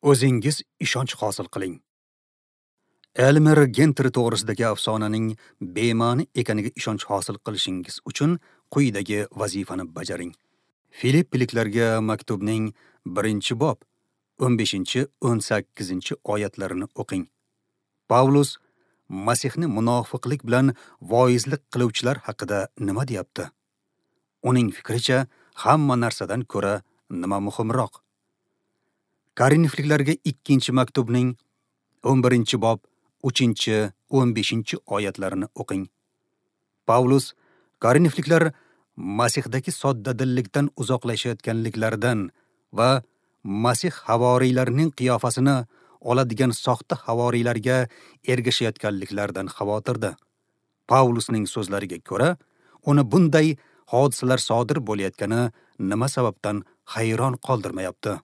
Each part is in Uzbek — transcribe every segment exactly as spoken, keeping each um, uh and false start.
O'zingiz ishonch hosil qiling. Elmer Gentri to'g'risidagi afsonaning bema'ni ekaniga ishonch hosil qilishingiz uchun quyidagi vazifani bajaring. Filippiliklarga maktubning birinchi bob o'n beshinchi o'n sakkizinchi oyatlarini o'qing. Pavlus Masihni munofiqlik bilan voizlik qiluvchilar haqida nima deyapti? Uning fikricha, hamma narsadan ko'ra nima muhimroq? Korinfliklarga ikkinchi maktubning o'n birinchi bob uchinchi o'n beshinchi oyatlarini o'qing. Pavlus Korinfliklar Masihdagi soddadillikdan uzoqlashayotganliklaridan va Masih havoriylarining qiyofasini oladigan soxta havoriylarga ergashayotganliklaridan xavotirda. Pavlusning so'zlariga ko'ra, uni bunday hodisalar sodir bo'layotgani nima sababdan hayron qoldirmayapti?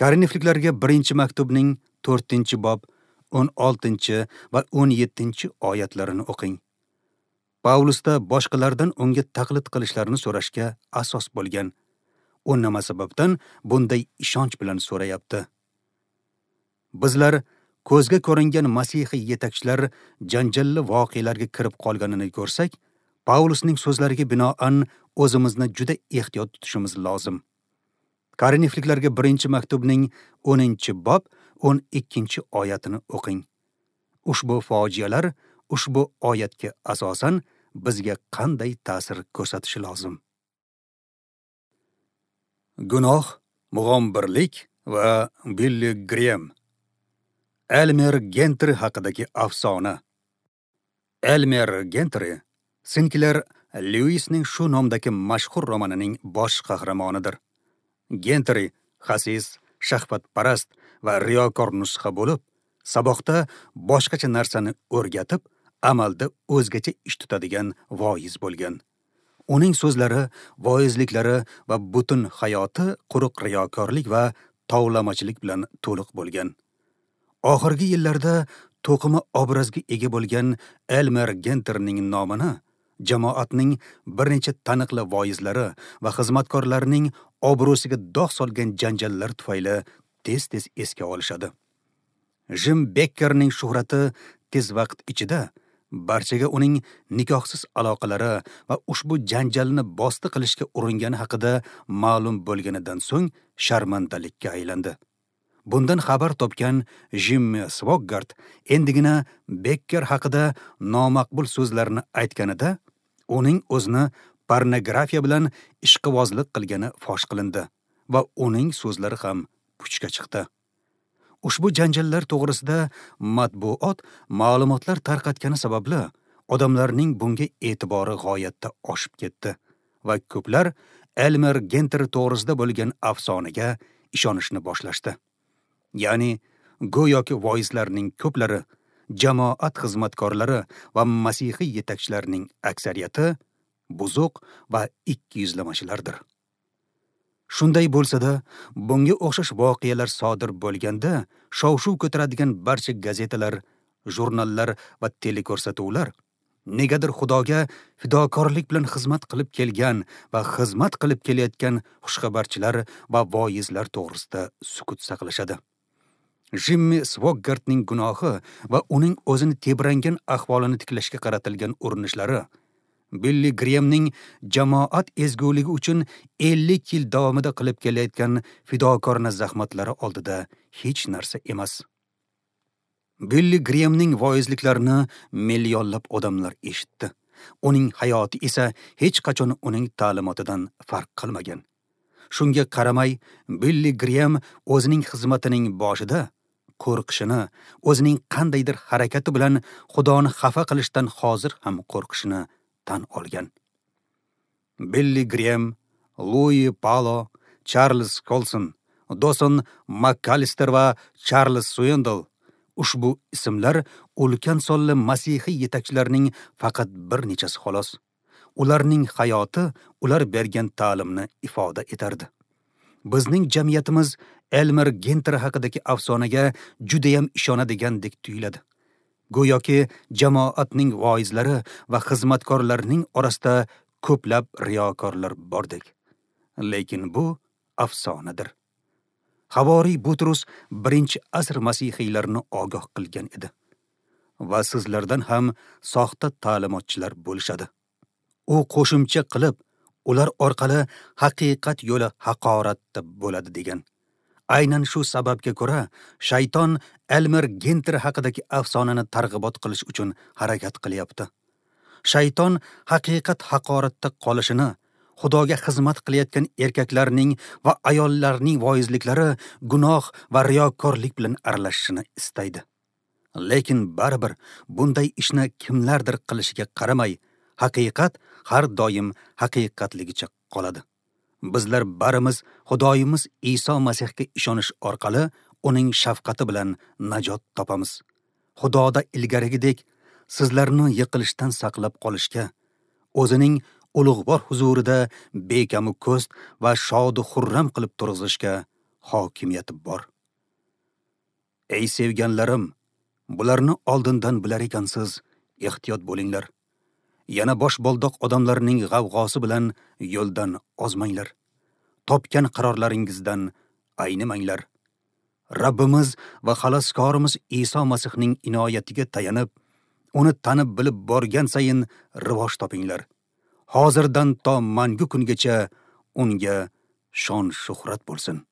Korinfliklarga birinchi maktubning to'rtinchi bob o'n oltinchi va o'n yettinchi oyatlarini o'qing. Pavlusda boshqalardan unga taqlid qilishlarini so'rashga asos bo'lgan. U nima sababdan bunday ishonch bilan so'rayapti? Bizlar ko'zga ko'ringan masihiy yetakchilar janjalli voqealarga kirib qolganini ko'rsak, Pavlusning so'zlariga binoan o'zimizni juda ehtiyot tutishimiz lozim. Korinfliklarga birinchi maktubning o'ninchi bob o'n ikkinchi oyatini o'qing. Ushbu fojialar ushbu oyatga asosan bizga qanday ta'sir ko'rsatishi lozim? Gunoh, mug'ombirlik va Billi Grem. Elmer Gentri haqidagi afsona. Elmer Gentri Sinkler Lewis-ning shu nomdagi mashhur romanining bosh qahramonidir. Gentri xasis, shahvatparast va riyokor nusxa bo'lib, saboqda boshqacha narsani o'rgatib, amalda o'zgacha ish tutadigan voiz bo'lgan. Uning so'zlari, voizliklari va butun hayoti quruq riyokorlik va tovlamachilik bilan to'liq bo'lgan. Oxirgi yillarda to'qima obrazga ega bo'lgan Elmer Genterning nomini jamoatning bir necha taniqli voizlari va xizmatkorlarining obro'siga dog' solgan janjallar tufayli tez-tez esga olishadi. Jim Bekkerning shuhrati tez vaqt ichida barchaga uning nikohsiz aloqalari va ushbu janjalni bosti qilishga uringani haqida ma'lum bo'lganidan so'ng sharmandalikka aylandi. Bundan xabar topgan Jimmy Swaggart endigina Bekker haqida nomaqbul so'zlarni aytganida uning o'zini pornografiya bilan ishqibozlik qilgani fosh qilindi va uning so'zlari ham puchga chiqdi. Ushbu janjallar to'g'risida matbuot ma'lumotlar tarqatgani sababli odamlarning bunga e'tibori g'oyatda oshib ketdi va ko'plar Elmer Gentri to'g'risida bo'lgan afsonaga ishonishni boshlashdi. Ya'ni go'yoki voizlarning ko'plari, jamoat xizmatkorlari va masihiy yetakchilarning aksariyati buzuq va ikkiyuzlamachilardir. Shunday bo'lsa-da, bunga o'xshash voqealar sodir bo'lganda, shov-shuv ko'taradigan barcha gazetalar, jurnallar va teleko'rsatuvlar negadir Xudoga fidokorlik bilan xizmat qilib kelgan va xizmat qilib kelayotgan xushxabarchilar va voizlar to'g'risida sukut saqlashadi. Jimmy Swaggartning gunohi va uning o'zini tebrangan ahvolini tiklashga qaratilgan urinishlari, Billi Gremning jamoat ezguligi uchun ellik yil davomida qilib kelayotgan fidokorona zahmatlari oldida hech narsa emas. Billi Gremning voizliklarini millionlab odamlar eshitdi. Uning hayoti esa hech qachon uning ta'limotidan farq qilmagan. Shunga qaramay, Billi Grem o'zining xizmatining boshida qo'rqishini, o'zining qandaydir harakati bilan Xudoni xafa qilishdan hozir ham qo'rqishini tan olgan. Billi Grem, Lui Palo, Charles Colson, Doson McAllister va Charles Swindoll ushbu ismlar ulkan sonli masihiy yetakchilarning faqat bir nechasi xolos. Ularning hayoti ular bergan ta'limni ifoda etardi. Bizning jamiyatimiz Elmer Gentri haqidagi afsonaga judayam ishonadigandek tuyuladi. Go'yoki jamoatning voizlari va xizmatkorlarining orasida ko'plab riyokorlar bordek. Lekin bu afsonadir. Havoriy Butrus birinchi asr masihiylarini ogoh qilgan edi. Va sizlardan ham soxta ta'limotchilar bo'lishadi. U qo'shimcha qilib, ular orqali haqiqat yo'li haqoratda bo'ladi degan. Aynan shu sababga ko'ra, shayton Elmer Gentri haqidagi afsonani targ'ibot qilish uchun harakat qilyapti. Shayton haqiqat haqoratda qolishini, Xudoga xizmat qilayotgan erkaklarning va ayollarning voizliklari gunoh va riyokorlik bilan aralashishini istaydi. Lekin baribir bunday ishni kimlardir qilishiga qaramay, haqiqat har doim haqiqatligicha qoladi. Bizlar barimiz Xudoyimiz Iso Masihga ishonish orqali uning shafqati bilan najot topamiz. Xudoda ilgarigidek sizlarni yiqilishdan saqlab qolishga, o'zining ulug'vor huzurida bekamu ko'st va shodu xurram qilib turg'izishga hokimiyati bor. Ey sevganlarim, bularni oldindan bilar ekansiz, ehtiyot bo'linglar. Yana bosh boldoq odamlarning g'avg'osi bilan yo'ldan ozmanglar. Topgan qarorlaringizdan aynimanglar. Rabbimiz va xaloskorimiz Iso Masihning inoyatiga tayanib, uni tanib bilib borgan sayin rivoj topinglar. Hozirdan to mangu kungacha unga shon shuhrat bo'lsin.